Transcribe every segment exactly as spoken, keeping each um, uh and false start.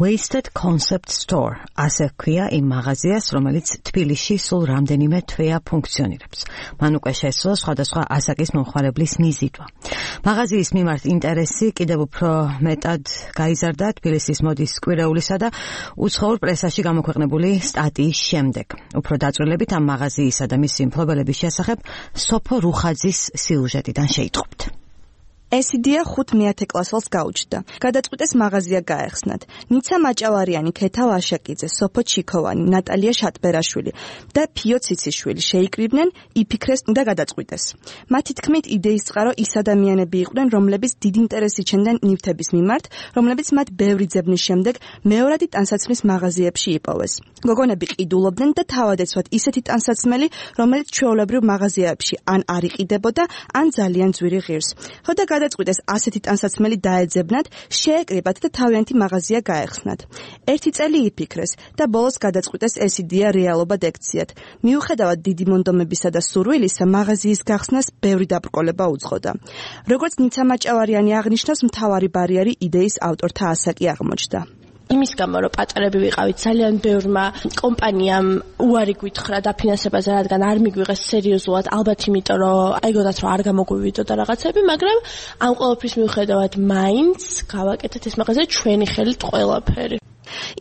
Wasted Concept Store, ასე ქვია იმ მაღაზიას, რომელიც თბილისში სულ რამდენიმე თვეა ფუნქციონირებს. მან უკვე შესძლო სხვადასხვა ასაკის მომხმარებლის მიზიდვა. მაღაზიის მიმართ ინტერესი კიდევ უფრო მეტად გაიზარდა თბილისის მოდის კვირეულისა და უცხოურ პრესაში გამოქვეყნებული სტატიის შემდეგ. უფრო დაწვრილებით ამ მაღაზიისა და მისი მფლობელების შესახებ სოფო რუხაძის სიუჟეტიდან შეიტყობთ. ეს იდეა ხუთ მეათე კლასელს გაუჩნდა. გადაწყვიტეს მაღაზია გაეხსნათ. ნიცა მაჭავარიანი, ქეთა ვაშაკიძე, სოფო ჩიქოვანი, ნატალია შატბერაშვილი და ფიო ციციშვილი შეიკრიბნენ, იფიქრეს და გადაწყვიტეს. მათი თქმით იდეის წყარო ის ადამიანები იყვნენ, რომლებიც დიდ ინტერესს იჩენდნენ ნივთების მიმართ, რომლებიც მათ ბევრი ძებნის შემდეგ მეორადი ტანსაცმლის მაღაზიებში იპოვეს. გოგონები ყიდულობდნენ და თავად ეცვათ ისეთი ტანსაცმელი, რომელიც ჩვეულებრივ მაღაზიებში ან არ იყიდებოდა, ან ძალიან ძვირი ღირს. ხოდა გადაწყვიტეს ასეთი ტანსაცმელი დაეძებნათ, შეეკრიბათ და თავიანთი მაღაზია გაეხსნათ. ერთი წელი იფიქრეს და ბოლოს გადაწყვიტეს ეს იდეა რეალობად ექციათ. მიუხედავად დიდი მონდომებისა და სურვილისა, მაღაზიის გახსნას ბევრი დაბრკოლება უძღოდა. როგორც ნიცა მაჭავარიანი აღნიშნავს, მთავარი ბარიერი იდეის ავტორთა ასაკი აღმოჩნდა. იმის გამო, რომ პატარები ვიყავით, ძალიან ბევრმა კომპანიამ უარი გვითხრა დაფინანსებაზე, რადგან არ მიგვიღეს სერიოზულად, ალბათ იმიტომ, რომ აიგონათ, რომ არ გამოგვივიდოდა რაღაცები, მაგრამ ამ ყველაფრის მიუხედავად მაინც გავაკეთეთ ეს მაღაზია ჩვენი ხელით ყველაფერი.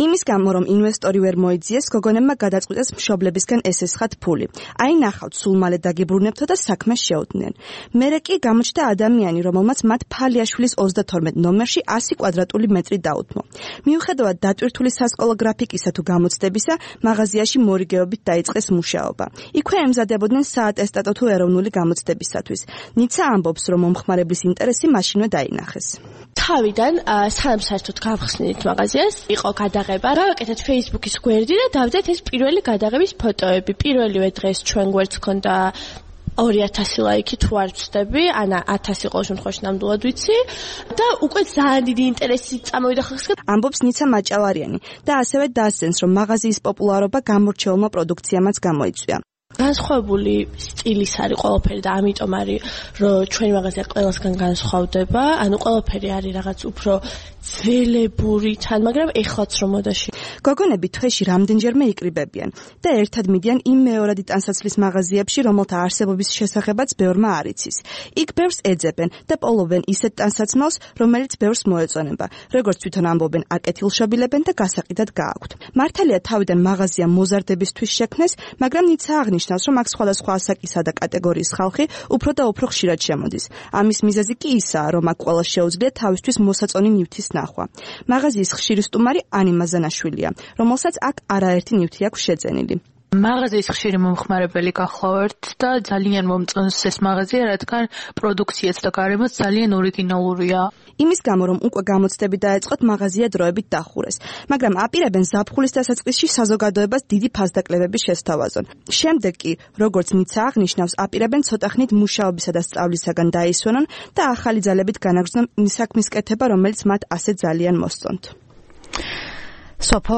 იმის გამო, რომ ინვესტორი ვერ მოიძიეს, გოგონებმა გადაწყვიტეს მშობლებისგან ესესხათ ფული. აი ნახავთ, სულ მალე დაგიბრუნებთო და საქმეს შეუდგნენ. მერე კი გამოჩნდა ადამიანი, რომელმაც მათ ფალიაშვილის ოცდათორმეტ ნომერში ასი კვადრატული მეტრი დაუთმო. მიუხედავად დატვირთული სასკოლო გრაფიკისა თუ გამოცდებისა, მაღაზიაში მორიგეობით დაიწყეს მუშაობა. იქვე ემზადებოდნენ საატესტატო თუ ეროვნული გამოცდებისათვის. ნიცა ამბობს, რომ მომხმარებლის ინტერესი მაშინვე დაინახეს. თავიდან სანამ საერთოდ გავხსნით მაღაზიას, იყო გადაღება. გავაკეთეთ Facebook-ის გვერდი და დავდეთ ეს პირველი გადაღების ფოტოები. პირველივე დღეს ჩვენ გვერდს ჰქონდა ორი ათასი ლაიქი თუ არ ვცდები, ან ათასი ყოველ შემთხვევაში ნამდვილად ვიცი და უკვე ძალიან დიდი ინტერესი წამოვიდა ხალხისგან. ამბობს ნიცა მაჭავარიანი და ასევე დასცენს, რომ მაღაზიის პოპულარობა გამორჩეულმა პროდუქციამაც გამოიწვია. განსხვავებული სტილის არის ყველაფერი და ამიტომ არის, რომ ჩვენი მაღაზია ყველასგან განსხვავდება, ანუ ყველაფერი არის რაღაც უფრო ძველებური თან, მაგრამ ეხლაც რომ მოდაში. გოგონები თვეში რამდენჯერმე იკრიბებიან და ერთად მიდიან იმ მეორადი ტანსაცმლის მაღაზიებში, რომელთა არსებობის შესახებაც ბევრმა არ იცის. იქ ბევრს ეძებენ და პოვლობენ ისეთ ტანსაცმელს, რომელიც ბევრს მოეწონება. როგორც თვითონ ამბობენ, აკეთილშობილებენ და გასაყიდად გააქვთ. მართალია თავიდან მაღაზია მოზარდებისთვის შექმნეს, მაგრამ ნიცა აღნიშნავს, რომ აქ სხვადასხვა ასაკისა და კატეგორიის ხალხი უფრო და უფრო ხშირად შემოდის. ამის მიზეზი კი ისაა, რომ აქ ყველას შეუძლია თავისთვის მოსაწონი ნივთის ნახვა. მაღაზიის ხშირი სტუმარი ანი მაზანაშვილია, რომელსაც აქ არაერთი ნივთი აქვს შეძენილი. მაღაზიის ხშირი მომხმარებელი გახლავართ და ძალიან მომწონს ეს მაღაზია, რადგან პროდუქციაც და გარემოც ძალიან ორიგინალურია. იმის გამო, რომ უკვე გამოცდები დაეწყოთ, მაღაზია დროებით დახურეს, მაგრამ აპირებენ ზაფხულის დასაწყისში საზოგადოებას დიდი ფასდაკლებების შესთავაზონ. შემდეგ კი, როგორც ნიცა აღნიშნავს, აპირებენ ცოტა ხნით მუშაობისა და სწავლისაგან დაისვენონ და ახალი ძალებით განაგრძნონ საქმის კეთება, რომელიც მათ ასე ძალიან მოსწონთ. სოფო